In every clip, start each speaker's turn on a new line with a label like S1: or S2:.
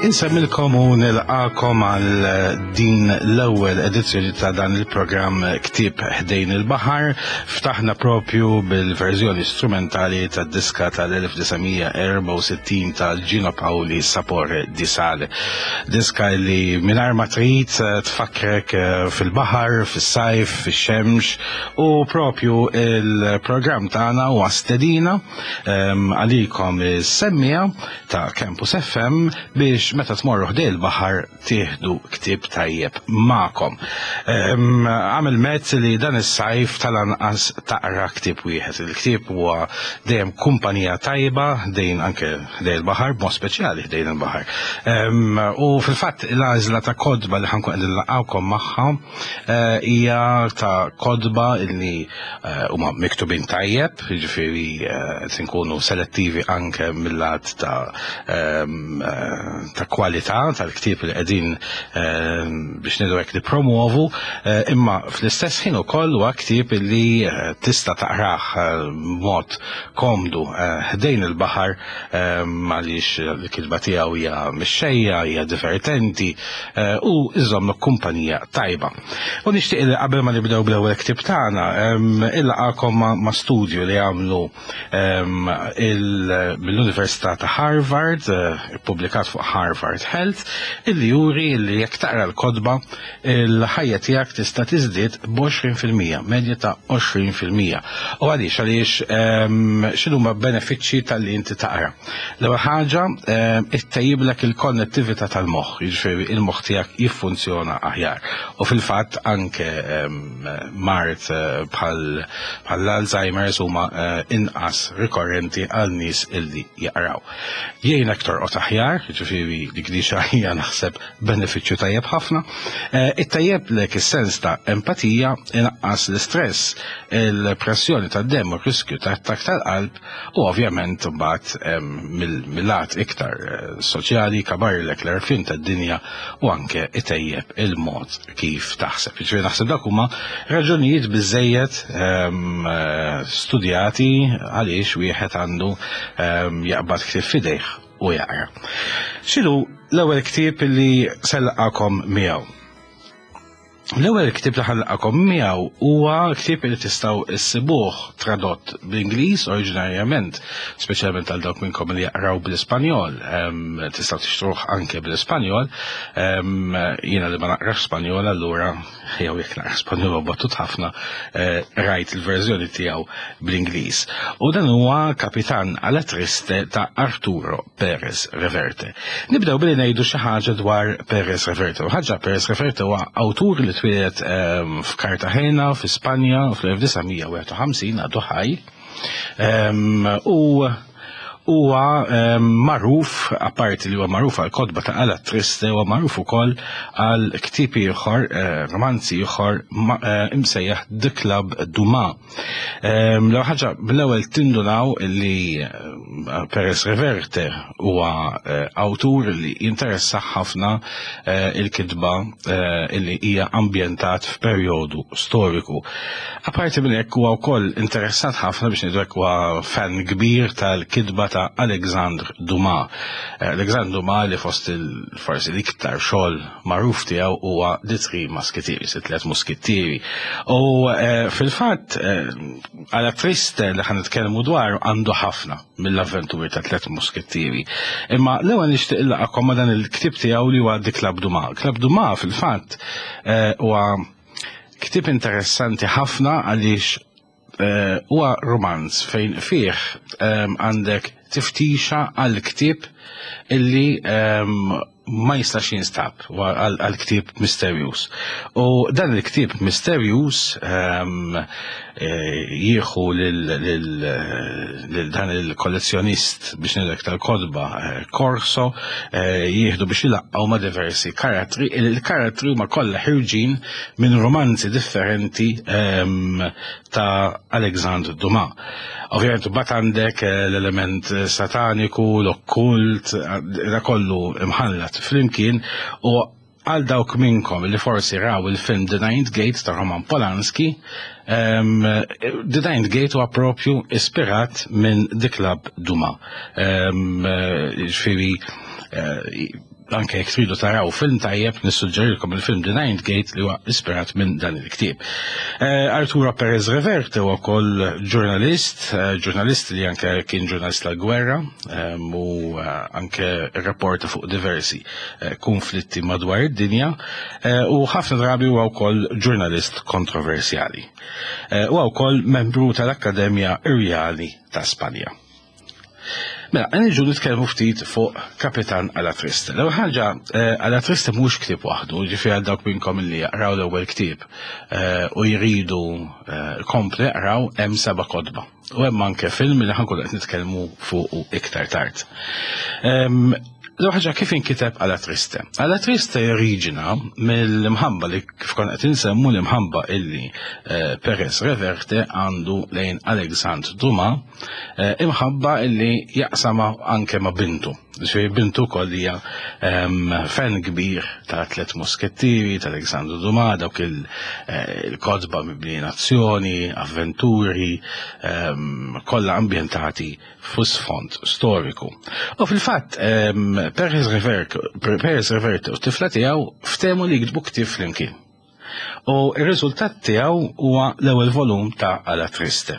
S1: Insemmilkom u nilqakom għal din l-ewwel edizzjoni ta' dan il-programm Ktieb Ħdejn il-Baħar. Ftaħna propju bil-verżjoni strumentali tad-diska tal-1964 ta' Gino Paoli Sapore di Sale. Diska li mingħajr ma trid tfakkrek fil-baħar, fis-sajf, fix-xemx u propju il-programm tagħna huwa stedina ehm, għalikom is-semmija ta' Campus FM biex meta tmorru ħdej il-baħar tieħdu ktieb tajjeb magħkom. Ehm, għamel mezz li dan is-sajf tal-anqas taqra ktieb wieħed. Il-ktieb huwa dejjem kumpanija tajba dejn anke ħdej il-baħar, b'mod speċjali ħdejn il-baħar. Ehm, u fil-fatt l-għażla ta' kodba li ħankun qegħdin nlaqgħukom magħha eh, hija ta' kodba li eh, huma miktubin tajjeb, jiġifieri eh, qed inkunu selettivi anke mill-lat ta' ehm, ta' kwalità tal-ktieb li qegħdin ehm, biex ngħidu hekk nippromuovu, imma fl-istess ħin ukoll huwa ktieb li tista' taqrah b'mod komdu ħdejn il-baħar ehm, għaliex il-kitba tiegħu hija mixxejja, hija divertenti u iżommlok kumpanija tajba. U nixtieq li qabel ma nibdew bl-ewwel ktieb tagħna, ehm, illaqakom ma' studju li għamlu ehm, mill-Università ta' Harvard, eh, ippubblikat fuq Harvard Health, illi juri li jekk taqra l-kotba il-ħajja tiegħek tista' tiżdied b'20%, medja ta' 20%. U għaliex għaliex ehm, x'inhuma benefiċċji tal-li inti taqra. L-ewwel ħaġa ehm, ittejjiblek il-konnettività tal-moħħ, jiġifieri il-moħħ tiegħek jiffunzjona aħjar. U fil-fatt anke ehm, mard eh, bħal l-Alzheimer's huma eh, inqas rikorrenti għal nies illi jaqraw. Jgħinek torqod aħjar, jiġifieri dik li hija naħseb benefiċċju tajjeb ħafna. Eh, ittajjeblek is-sens ta' empatija, inaqqas l-istress, il-pressjoni tad-demm u r-riskju ta' attakk tal-qalb u ovvjament mbagħad mill-lat iktar eh, soċjali kabarlek l-għarfien tad-dinja u anke itejjeb il-mod kif taħseb. Jiġifieri naħseb dak huma raġunijiet biżejjed eh, studjati għaliex wieħed għandu jaqbad ktieb f'idejh u jaqra. X'inhu l-ewwel ktieb li selqakom miegħu? L-ewwel ktieb li ħallaqakom miegħu huwa ktieb li tistgħu issibuh tradott bl-Ingliż oriġinarjament, speċjalment għal dawk minnkom li jaqraw bl-Ispanjol, tistgħu tixtruh anke bl-Ispanjol. Jiena li ma naqrax Spanjol allura jew jekk naqra Spanjol battut ħafna, eh, rajt il-verżjoni tiegħu bl-Ingliż. U dan huwa Kapitan alla Triste ta' Arturo Perez Reverte. Nibdew billi ngħidu xi ħaġa dwar Perez Reverte. U ħaġa Perez Reverte huwa awtur li twieled ehm, f'Cartagena, fi Spanja, fl-1951 għadu ħaj. Ehm, u huwa ehm, magħruf, apparti li huwa magħruf għal kotba ta' Alla Triste, huwa magħruf ukoll għal ktieb ieħor, eh, romanzi ieħor eh, imsejjaħ The Club Dumas. Ehm, l ħaġa bl-ewwel tindunaw li eh, Perez Reverte huwa eh, awtur li jinteressa ħafna eh, il-kitba li hija ambjentat f'perjodu storiku. Apparti minn hekk huwa wkoll interessat ħafna biex ngħidu hekk huwa fan kbir tal-kitba ta' Alexandre Dumas. Alexandre Dumas li fost il-forsi l-iktar xogħol magħruf tiegħu huwa The Three Musketeers, it-tliet muskittieri. U eh, fil-fatt eh, għala triste li ħan nitkellmu dwar għandu ħafna mill-avventuri ta' tliet muskittieri. Imma l-ewwel nixtieq illaqakom ma' dan il-ktieb tiegħu li huwa The Club Dumas. Club Dumas fil-fatt eh, huwa ktieb interessanti ħafna għaliex huwa romanz fejn fih għandek tiftixa għal ktieb illi ma jistax jinstab għal ktieb misterjuż. U dan il-ktieb misterjuż ehm, eh, jieħu lil dan il-kollezzjonist biex ngħidlek tal-kodba eh, Corso eh, jieħdu biex ilaqqgħu ma' diversi karattri. Il-karattri huma kollha ħirġin minn romanzi differenti ehm, ta' Alexandre Dumas. Ovvjament bat għandek eh, l-element sataniku, l-okkult, da kollu imħallat flimkien u għal dawk minnkom li forsi raw il-film The Ninth Gate ta' Roman Polanski, um, The Ninth Gate huwa propju ispirat minn The Club Duma. Um, ġifieri, uh, Anke jekk tridu taraw film tajjeb, nissuġġerilkom il-film The Ninth Gate li huwa ispirat minn dan il-ktieb. Eh, Arturo Perez Reverte huwa wkoll ġurnalist, eh, ġurnalist li anke kien ġurnalist tal-gwerra eh, u anke rapporta fuq diversi konflitti madwar id-dinja u ħafna drabi huwa wkoll ġurnalist kontroversjali. Huwa wkoll membru tal-Akkademja Irjali ta' Spanja. Mela, nġu nitkellmu ftit fuq Kapitan Alla Triste. L-ewwel ħaġa, eh, Alla Triste mhux ktieb waħdu, ġifieri għal dawk minnkom li jaqraw l-ewwel ktieb eh, u jridu eh, kompli jaqraw hemm seba' kotba. U hemm anke film li ħankun qed nitkellmu fuq iktar tard. Ehm, l-ewwel ħaġa kif inkiteb Alla Triste? Alla Triste joriġina mill-imħabba li kif konna qed insemmu l-imħabba illi Perez Reverte għandu lejn Alexandre Dumas Eh, imħabba illi jaqsama anke ma' bintu. Ġifieri bintu wkoll hija ehm, fan kbir ta' Tlet Muskettieri, ta' Alexandru Dumas, dawk eh, il-kotba mibnijin azzjoni, avventuri, ehm, kollha ambjentati fu sfond storiku. U fil-fatt, ehm, Perez Revert u tifla tiegħu ftehmu li jiktbu ktieb flimkien. U r-riżultat tiegħu huwa l-ewwel volum ta' Alla Triste.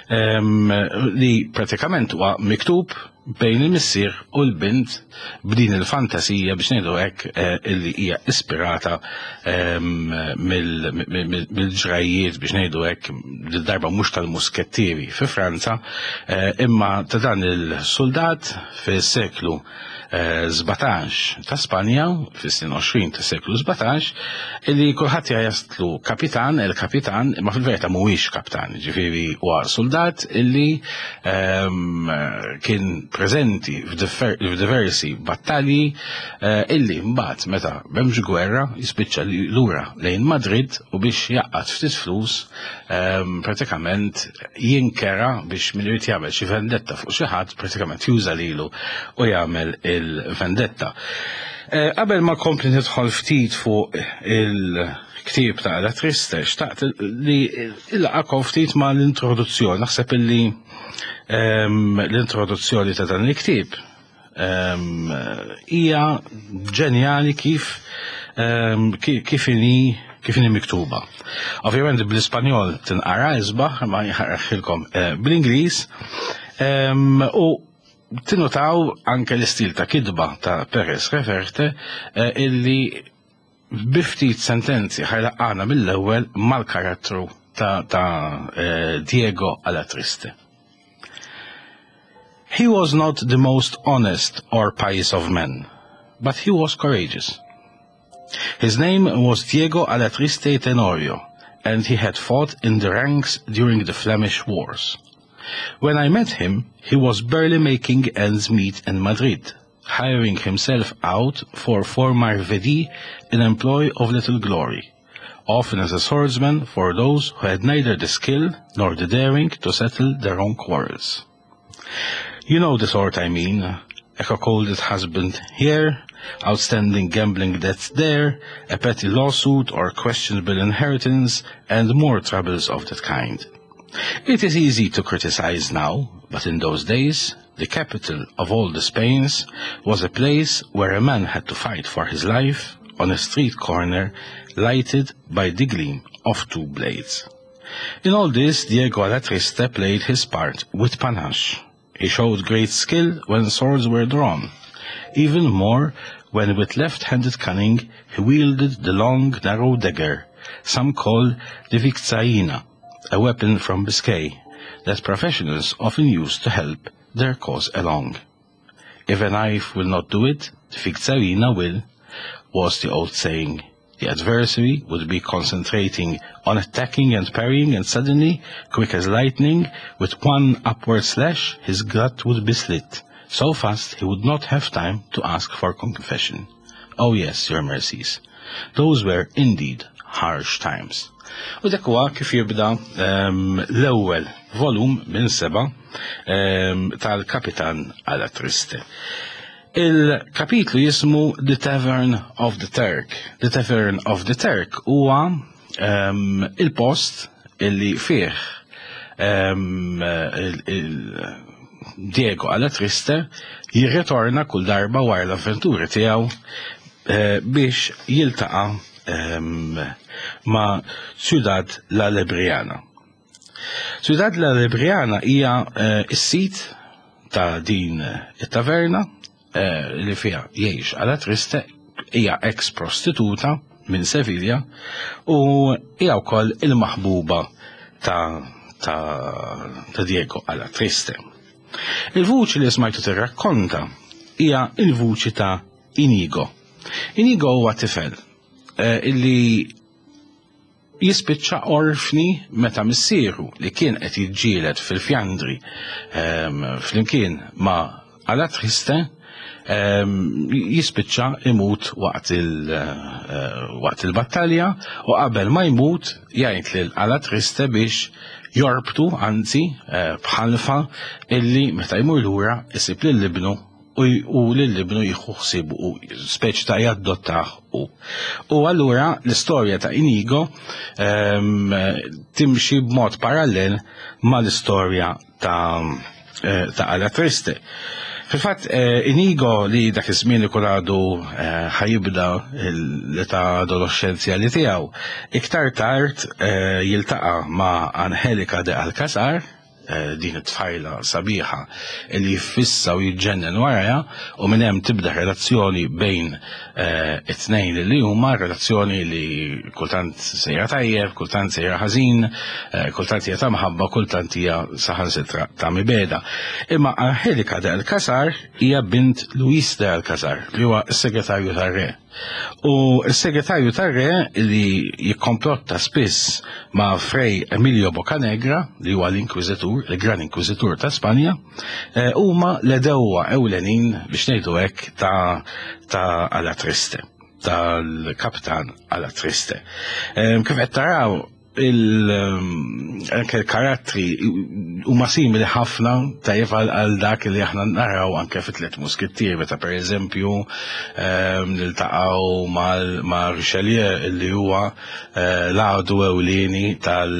S1: Um, li pratikament huwa miktub bejn il-missier u l-bint b'din il-fantasija biex ngħidu hekk eh, illi hija ispirata ehm, mill-ġrajjiet biex ngħidu hekk darba mhux tal-muskettieri fi Franza eh, imma ta' dan il-soldat fis-seklu 17 ta' Spanja, fis-snin 20 ta' seklu 17, illi kulħadd jgħajjatlu kapitan, il-kapitan, imma fil-verità mhuwiex kaptan, ġifieri huwa soldat illi ehm, kien preżenti f'diversi battalji eh, illi mbagħad meta m'hemmx gwerra jispiċċa lura lejn Madrid u biex jaqgħad ftit flus ehm, pratikament jinkera biex min irid jagħmel xi vendetta fuq xi ħadd pratikament juża lilu u jagħmel il-vendetta. Eh, qabel ma kompli nidħol ftit fuq il-ktieb ta' La Triste, xtaqt li il-laqakom ftit ma l-introduzzjoni. Naħseb illi ehm, l-introduzzjoni ta' dan il-ktieb ehm, hija ġenjali kif ehm, kif inhi kif inhi miktuba. Ovvjament bl-Ispanjol tinqara isbaħ, ma jħarħilkom eh, bl-Ingliż. Ehm, u tinutaw anke l-istil ta' kidba ta' Perez Reverte eh, illi bi ftit sentenzi ħajlaqqana mill-ewwel mal-karattru ta', ta eh, Diego Alatriste. He was not the most honest or pious of men, but he was courageous. His name was Diego Alatriste Tenorio, and he had fought in the ranks during the Flemish Wars. When I met him, he was barely making ends meet in Madrid, hiring himself out for former vedi in employ of little glory, often as a swordsman for those who had neither the skill nor the daring to settle their own quarrels. You know the sort I mean, a cuckolded husband here, outstanding gambling debts there, a petty lawsuit or questionable inheritance, and more troubles of that kind. It is easy to criticize now, but in those days, the capital of all the Spains was a place where a man had to fight for his life on a street corner lighted by the gleam of two blades. In all this, Diego Alatriste played his part with panache. He showed great skill when swords were drawn, even more when with left-handed cunning he wielded the long, narrow dagger, some call the vizcaína, a weapon from Biscay that professionals often use to help their cause along. If a knife will not do it, the vizcaína will, was the old saying. The adversary would be concentrating on attacking and parrying, and suddenly, quick as lightning, with one upward slash, his gut would be slit, so fast he would not have time to ask for confession. Oh yes, your mercies. Those were indeed harsh times. U dak huwa kif jibda um, l-ewwel volum minn seba um, tal-Kapitan Alla Triste. Il-kapitlu jismu The Tavern of the Turk. The Tavern of the Turk huwa um, il-post illi fih um, il, il Diego Alatriste jirritorna kull darba wara l-avventuri tiegħu eh, biex jiltaqa' ehm, ma' Ciudad La Lebriana. Ciudad La Lebriana hija eh, s-sit ta' din it-taverna eh, li fiha jgħix Alatriste hija ex prostituta minn Sevilla u hija wkoll il-maħbuba ta' ta', ta Diego Alatriste. Il-vuċi li smajtu tirrakkonta hija il-vuċi ta' Inigo. Inigo huwa tifel eh, illi jispiċċa orfni meta missieru li kien qed jiġġieled fil-Fjandri ehm, flimkien ma' Alatriste ehm, jispiċċa imut waqt eh, waqt il-battalja u qabel ma jmut jgħid lil Alatriste biex jorbtu anzi eh, bħalfa illi meta jmur lura isib lil ibnu u lil ibnu jieħu ħsieb u speċi ta' jaddottah u. U allura l-istorja ta' Inigo ehm, timxi b'mod parallel mal-istorja ta' eh, ta' Alatriste. Fil-fatt, eh, Inigo li dak iż-żmien ikun għadu eh, ħajibda l-età adolescenzjali tiegħu, iktar tard jiltaqa' ma' Angelica de Alcazar, Eh, din it-tfajla sabiħa li jiffissa u jiġġennen warajha u minn hemm tibda relazzjoni bejn eh, it-tnejn li huma relazzjoni li kultant sejra tajjeb, kultant sejra ħażin, eh, kultant hija ta' mħabba, kultant hija saħansitra ta' mibeda. Imma Angelika de Alcazar hija bint Luis de Alcazar li huwa s-segretarju tar-re. U s-segretarju tar-re li jikkomplotta spiss ma' Frei Emilio Bocanegra, li huwa l-Inkwiżitur, il-Gran Inkwiżitur ta' Spanja, eh, huma l-edewwa ewlenin biex ngħidu hekk ta' ta' Alatriste, tal-kaptan Alatriste. Eh, kif qed taraw, anke l-karattri huma simili ħafna tajjeb għal dak li aħna naraw anke fit tliet muskittier meta pereżempju ehm, niltaqgħu ma' Richelieu li huwa eh, l-għadu ewlieni tal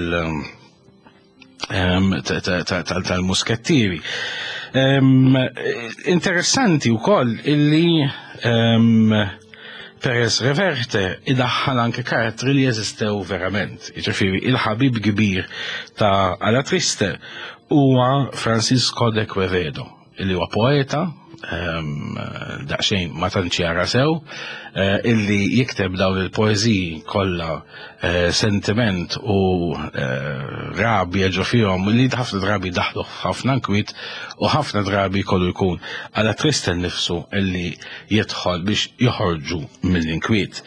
S1: ehm, tal-muskettieri. Ehm, interessanti wkoll illi Perez Reverte idaħħal anke karattri li jeżistew verament. Jiġifieri il-ħabib kbir ta' Alatriste huwa Francisco de Quevedo, illi huwa poeta, ehm, daqsxejn ma tantx jara sew, eh, illi jikteb dawn il-poeżiji kollha eh, sentiment u eh, rabja ġo fihom li ħafna drabi daħlu ħafna nkwiet u ħafna drabi kollu jkun għala triste nifsu illi jidħol biex joħorġu mill-inkwiet.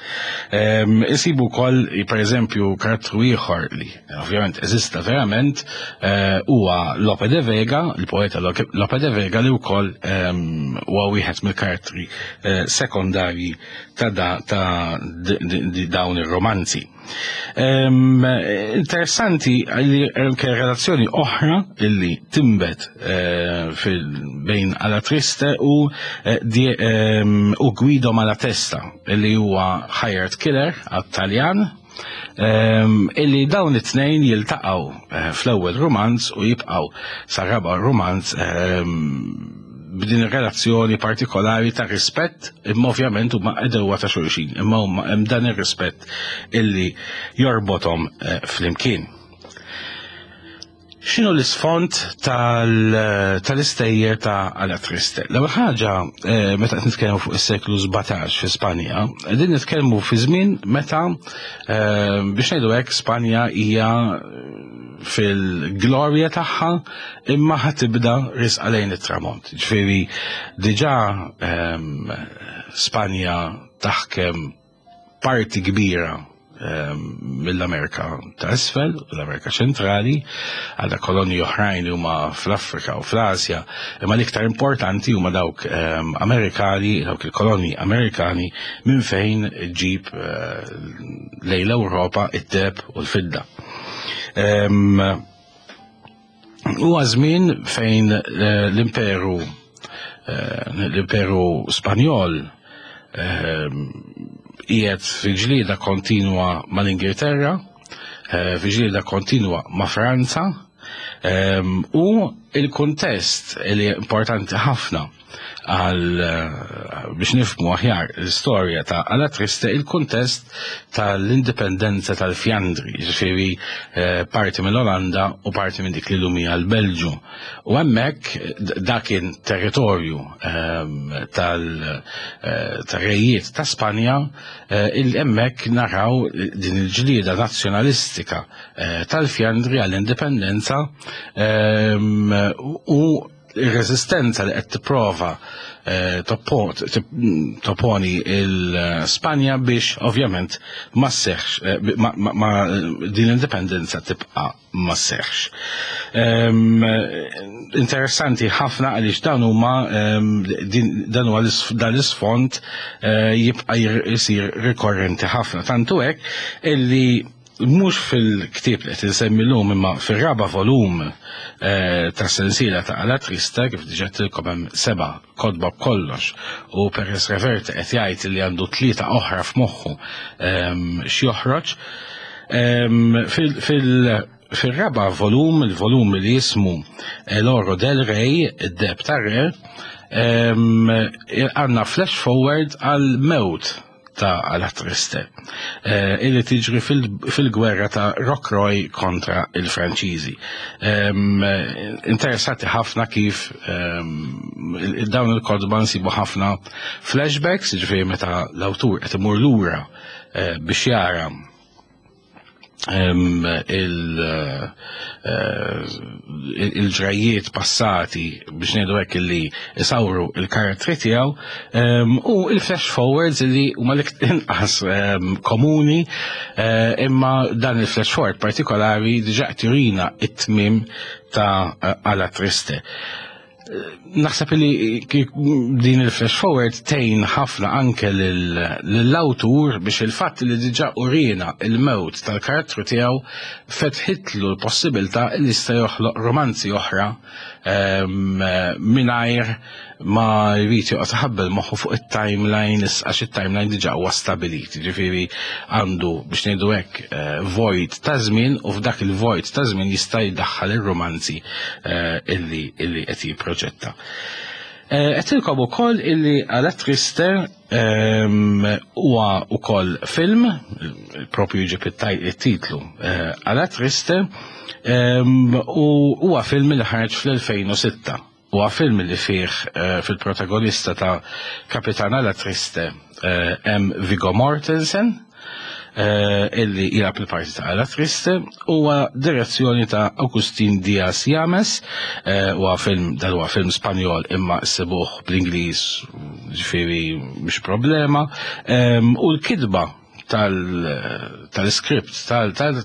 S1: Ehm, isibu wkoll per eżempju karattru ieħor li ovvjament eżista verament eh, huwa Lope de Vega, il-poeta Lope de Vega li wkoll ehm, huwa wieħed mill-karattri sekondarji ta' da, ta' dawn ir-romanzi. Um, interessanti li anke relazzjoni oħra illi timbet uh, bejn Alatriste u, uh, di, um, u Guido Malatesta illi huwa hired killer għat-Taljan um, illi dawn it-tnejn jiltaqgħu uh, fl-ewwel romanz u jibqgħu sa raba' romanz um, b'din ir-relazzjoni partikolari ta' rispett, imma ovvjament huma edewwa ta' xulxin, imma huma hemm dan ir-rispett illi jorbothom eh, flimkien. X'inhu l-isfond tal-istejjer ta' Alatriste? L-ewwel ħaġa, eh, meta qed nitkellmu fuq is-seklu 17 fi Spanja, qegħdin nitkellmu fi żmien meta eh, biex ngħidu hekk Spanja hija fil-glorja tagħha imma ħa tibda risqa lejn it-tramont. Ġifieri diġà ehm, Spanja taħkem parti kbira ehm, mill-Amerika ta' isfel, l-Amerika ċentrali, għadha kolonji oħrajn li huma fl-Afrika u fl-Asja, imma l-iktar importanti huma dawk ehm, Amerikani, dawk il-kolonji Amerikani minn fejn ġib eh, lejn l-Ewropa id-deb u l-fidda. Huwa żmien fejn eh, l-imperu eh, l-imperu Spanjol qiegħed fi ġlieda kontinwa mal-Ingilterra, eh, fi ġlieda kontinwa ma' Franza. U il-kuntest li importanti ħafna għal eh, biex nifhmu aħjar l-istorja ta' Alla Triste il-kuntest tal-indipendenza tal-Fjandri, ġifieri eh, parti mill-Olanda u parti minn dik li lum hija l-Belġu. U hemmhekk dak kien territorju ehm, tal-rejiet eh, ta' Spanja il hemmhekk naraw din il-ġlieda nazzjonalistika tal-Fjandri għall-indipendenza ehm, u ir-reżistenza li qed tipprova eh, toponi il-Spanja biex ovvjament ma sseħħx eh, ma din l-indipendenza tibqa' ma sseħħx. Ehm, interessanti ħafna għaliex dan huma ehm, dan huwa dan l-isfond eh, jibqa' jsir rikorrenti ħafna. Tantu hekk illi mhux fil-ktieb li qed insemmi llum imma fir-raba' volum eh, tas-sensiela ta' Ala Trista kif diġà tilkom hemm seba' kotba b'kollox u Perez Reverte qed jgħid li għandu tlieta oħra f'moħħu ehm, x'joħroġ. Ehm, fil-raba' volum, il-volum li jismu El Oro del Rey, id-deb tar-re, ehm, għandna flash forward għal mewt ta' Alla Triste, eh, illi tiġri fil-gwerra ta' Rocroi kontra il-Franċiżi. Interessanti ħafna kif dawn il-kodba nsibu ħafna flashbacks, ġifieri meta l-awtur qed imur lura eh, biex jara Eh, il-ġrajiet passati biex ngħidu hekk li isawru il-karattri tiegħu u il-flash forwards li huma l-inqas komuni eh, imma dan il-flash forward partikolari diġà turina it-tmiem ta' Ala Triste. Naħseb li din il-flash forward tgħin ħafna anke lill-awtur biex il-fatt li diġà urina il-mewt tal-karattru tiegħu fetħitlu l-possibilità li jista' joħloq romanzi oħra ehm, mingħajr ma jrid joqgħod ħabbel moħħu fuq it-timeline għax it-timeline diġà huwa stabilit, ġifieri għandu biex ngħidu hekk eh, void ta' żmien u f'dak il-void ta' żmien jista' jdaħħal ir-romanzi eh, illi illi qed jipproġetta. Eh, qed ukoll illi għala Triste ehm, huwa ukoll film, propju jġib it-titlu għala Triste, ehm, u huwa film li ħareġ fl-2006. Huwa film li fih eh, fil-protagonista ta' Kapitana la Triste eh, hemm Viggo Mortensen eh, illi jilgħab il-parti ta' La Triste huwa direzzjoni ta' Agustin Diaz James huwa film dan huwa film Spanjol imma ssibuh bl-Ingliż ġifieri mhux problema u l-kitba tal-script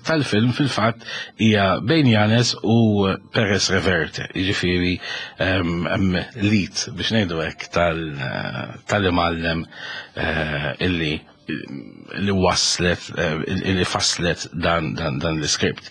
S1: tal-film fil-fatt hija bejn Janes u Perez Reverte, jiġifieri hemm lit biex ngħidu hekk tal-imgħallem eh, illi li waslet, eh, li faslet dan, dan, dan l-iskript.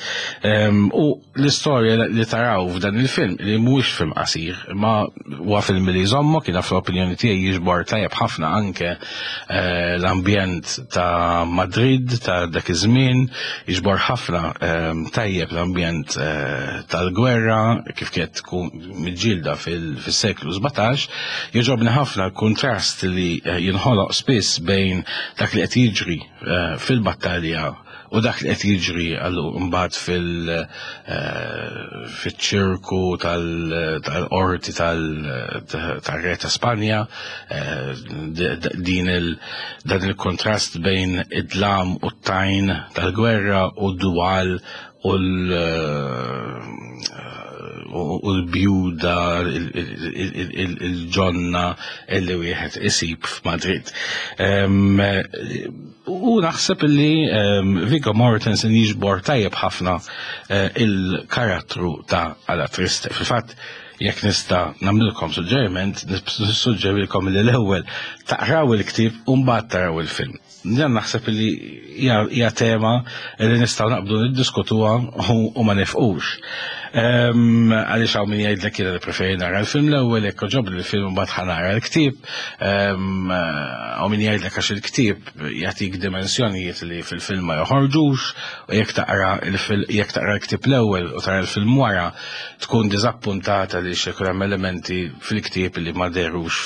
S1: U l-istorja li taraw f'dan il-film, li mhuwiex film qasir, ma huwa film li jżommok, jiena fl-opinjoni tiegħi jiġbor tajjeb ħafna anke eh, l-ambjent ta' Madrid ta' dak iż-żmien, jiġbor ħafna eh, tajjeb l-ambjent eh, tal-gwerra kif kienet tkun miġġielda fis-seklu 17, jogħġobni ħafna l-kuntrast li jinħoloq spiss bejn dak li qed jiġri fil-battalja U dak li qed jiġri għallu mbagħad fil eh, fiċ-ċirku tal-qorti tal-Re ta' Spanja, eh, din il dan il-kontrast bejn id-dlam u t-tajn tal-gwerra u d-dwal u u l-bjuda il-ġonna illi wieħed isib f'Madrid. U naħseb li Viggo Mortensen jiġbor tajjeb ħafna eh, il-karattru ta' Ala Triste. Fil-fatt, jekk nista' nagħmlilkom suġġeriment, nissuġġerilkom li l-ewwel taqraw il-ktieb u mbagħad taraw il-film. Dan naħseb li hija tema li nistgħu naqbdu niddiskutuha u ma nifqux. Għaliex hawn min jgħidlek jiena nippreferi nara l-film l-ewwel jekk oġobni l-film mbagħad ħa nara l-ktieb. Hawn min jgħidlek għax il-ktieb jagħtik dimensjonijiet li fil-film ma joħorġux u jekk taqra jekk taqra l-ktieb l-ewwel u tara l-film wara tkun diżappuntata li jkun hemm elementi fil-ktieb li ma derux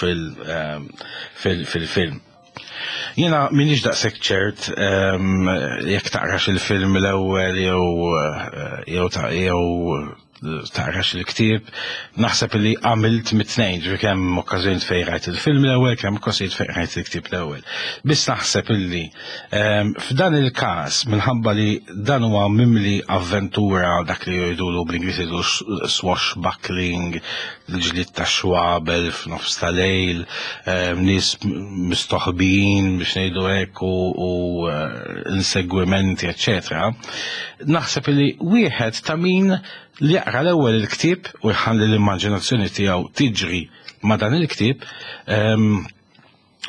S1: fil-film. Jiena m'iniex daqshekk ċert ehm, jekk taqrax il-film l-ewwel jew eh, jew jew taqrax il-ktieb, naħseb li għamilt mit-tnejn, ġifieri kemm okkażjonijiet fejn rajt il-film l-ewwel, kemm okkażjonijiet fejn rajt il-ktieb l-ewwel. Biss naħseb illi ehm, f'dan il-każ minħabba li dan huwa mimli avventura dak li jgħidulu bl-Ingliż jgħidu swashbuckling, l-ġlied ta' xwabel f'nofs ta' lejl, ehm, nies mistoħbijin biex ngħidu hekk u eh, insegwimenti, eċetera. Naħseb li wieħed ta' min li jaqra l-ewwel il-ktieb u jħalli l-immaġinazzjoni tiegħu tiġri ma' dan il-ktieb, ehm,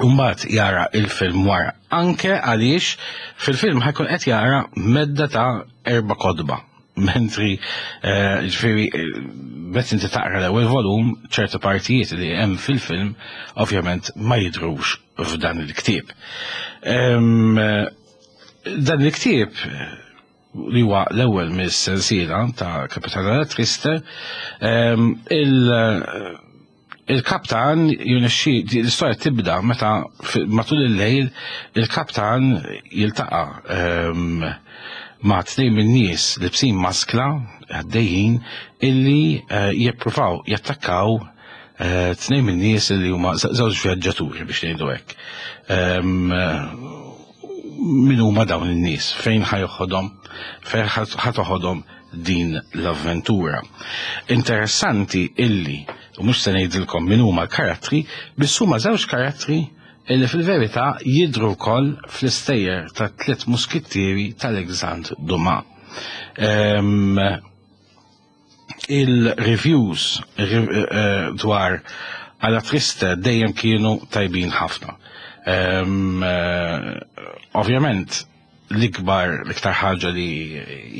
S1: Umbat jara il-film wara. Anke għaliex fil-film ħajkun qed jara medda ta' erba' kodba. Mentri, eh, ġifieri, eh, meta inti taqra l-ewwel volum, ċertu partijiet li hemm fil-film ovvjament ma jidhrux f'dan il-ktieb. Ehm, dan il-ktieb li huwa l-ewwel mis-sensiela ta' Capitana Triste, ehm, il- il-kaptan jirnexxi l-istorja tibda meta matul il-lejl il-kaptan jiltaqa' ehm, ma' tnejn min-nies libsin maskla għaddejjin illi eh, jippruvaw jattakkaw eh, tnejn min-nies illi huma żewġ vjaġġaturi biex ngħidu hekk. Ehm, min huma dawn in-nies, fejn ħajoħodhom, fejn ħatoħodhom din l-avventura. Interessanti illi, u mhux se ngħidilkom min huma l-karattri, biss huma żewġ karattri illi fil-verità jidhru wkoll fl-istejjer ta' tliet muskittieri tal-Alexandre Dumas. Um, il-reviews eh, eh, dwar għala triste dejjem kienu tajbin ħafna. Um, ovvjament, l-ikbar, l-iktar ħaġa li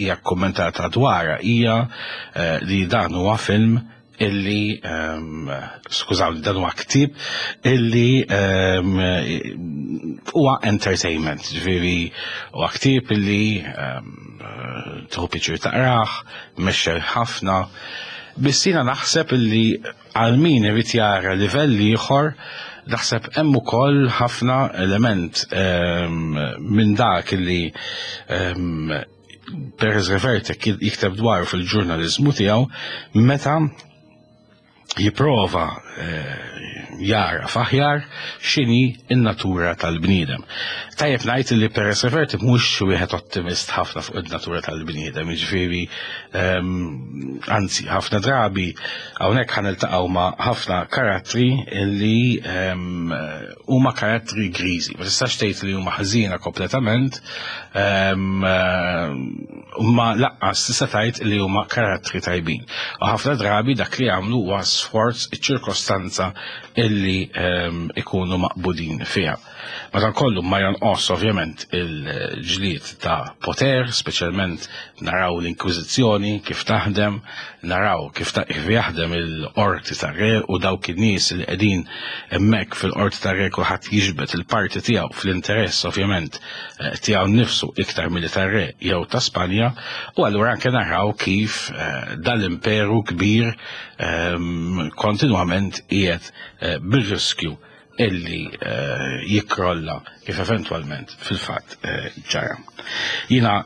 S1: hija kommentata dwarha hija eh, li dan huwa film illi um, skużawni, dan huwa ktieb illi ehm, huwa entertainment, ġifieri huwa ktieb illi um, tieħu pjaċir taqrah, mexxel ħafna. Biss jiena naħseb illi Għal min irid jara livell ieħor, naħseb hemm ukoll ħafna element ehm, minn dak li ehm, Perez Reverte jikteb dwaru fil-ġurnaliżmu tiegħu meta jipprova eh, jara faħjar x'inhi n-natura tal-bniedem. Tajjeb ngħid li Perez Reverte mhux xi wieħed ottimist ħafna fuq in-natura tal-bniedem, jiġifieri ehm, anzi ħafna drabi hawnhekk ħa niltaqgħu ma' ħafna karattri li ehm, huma karattri griżi. Ma tistax tgħid li huma ħażina kompletament, ehm, ma laqqas tista' tgħid li huma karattri tajbin. U ħafna drabi dak li jagħmlu huwa sforz iċ-ċirkostanza illi ikunu maqbudin fiha. Madankollu ma jonqos ovvjament il-ġlied ta' poter, speċjalment naraw l-Inkwiżizzjoni kif taħdem, naraw kif ta' kif jaħdem il-qorti tar-re u dawk in-nies li qegħdin hemmhekk fil-qorti tar-re kulħadd jiġbed il-parti tiegħu fl-interess ovvjament eh, tiegħu nnifsu iktar milli tar-re jew ta' Spanja u allura anke naraw kif eh, dal-imperu kbir ehm, kontinwament qiegħed eh, bir-riskju illi eh, jikkrolla kif eventwalment fil-fatt eh, ġara. Jina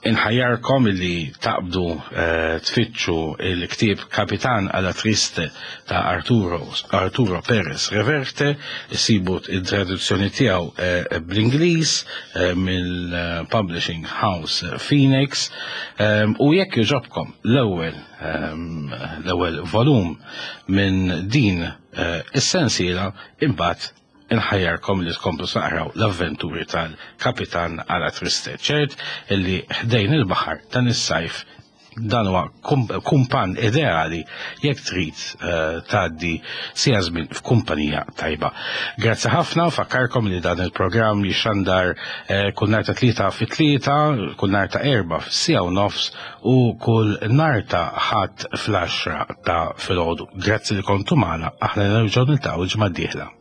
S1: inħajjarkom illi taqbdu eh, tfittxu il-ktieb Kapitan alla Triste ta' Arturo, Arturo Perez Reverte, isibu il-traduzzjoni tiegħu bl-Ingliż mill-Publishing House Phoenix u jekk jogħġobkom l-ewwel l-ewwel volum minn din Eh, is-sensiela imbagħad inħajjarkom li tkomplu taqraw l-avventuri tal-Kapitan Ala Triste. Ċert illi ħdejn il-baħar dan is-sajf Dan huwa kumpan ideali jekk trid eh, tgħaddi sija żmien f'kumpanija tajba. Grazzi ħafna, fakkarkom li dan il-programm jixxandar eh, kull nhar ta' tlieta fit-tlieta, kull nhar ta' erba' f'sija u nofs u kull nhar ta' ħadd fl-10 ta' filgħodu. Grazzi li kontu magħna, aħna nerġgħu niltaqgħu l-ġimgħa d-dieħla.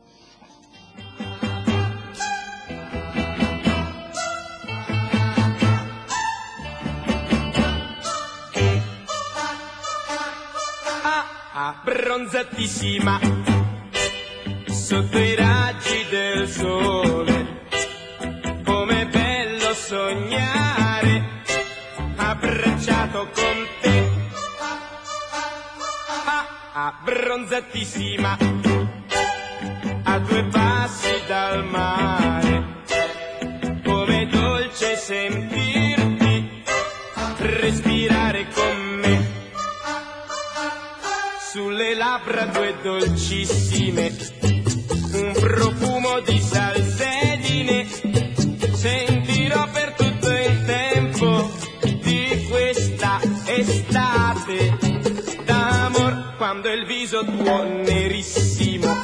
S2: Abbronzatissima sotto i raggi del sole. Com'è bello sognare abbracciato con te. Ah, abbronzatissima a due passi dal mare. Com'è dolce sentirti respirare con me. Sulle labbra tue dolcissime, un profumo di salsedine, sentirò per tutto il tempo di questa estate d'amor, quando il viso tuo nerissimo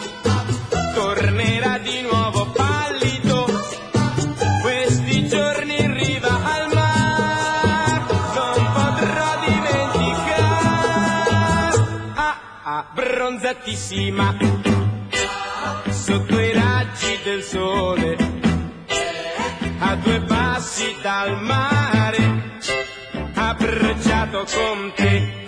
S2: tornerà di nuovo pallido, questi giorni in riva al mar non potrò dimenticare. Ah, abbronzatissima sotto i raggi del sole, a due passi dal mare, abbracciato con te.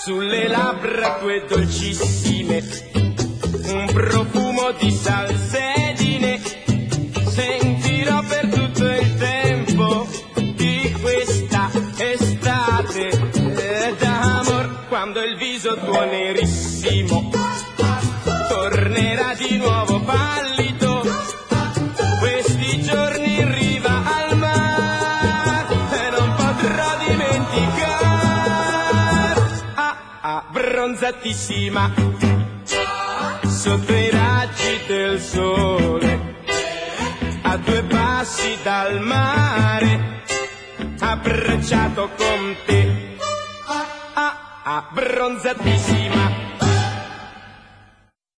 S2: Sulle labbra tue dolcissime, un profumo di salsedine, sentirò per tutto il tempo di questa estate d'amor, quando il viso tuo nerissimo tornerà di nuovo pallido, questi giorni in riva al mare e non potrò dimenticare. Ah, abbronzatissima sotto i raggi del sole, a due passi dal mare, abbracciato con te. Ah, abbronzatissima.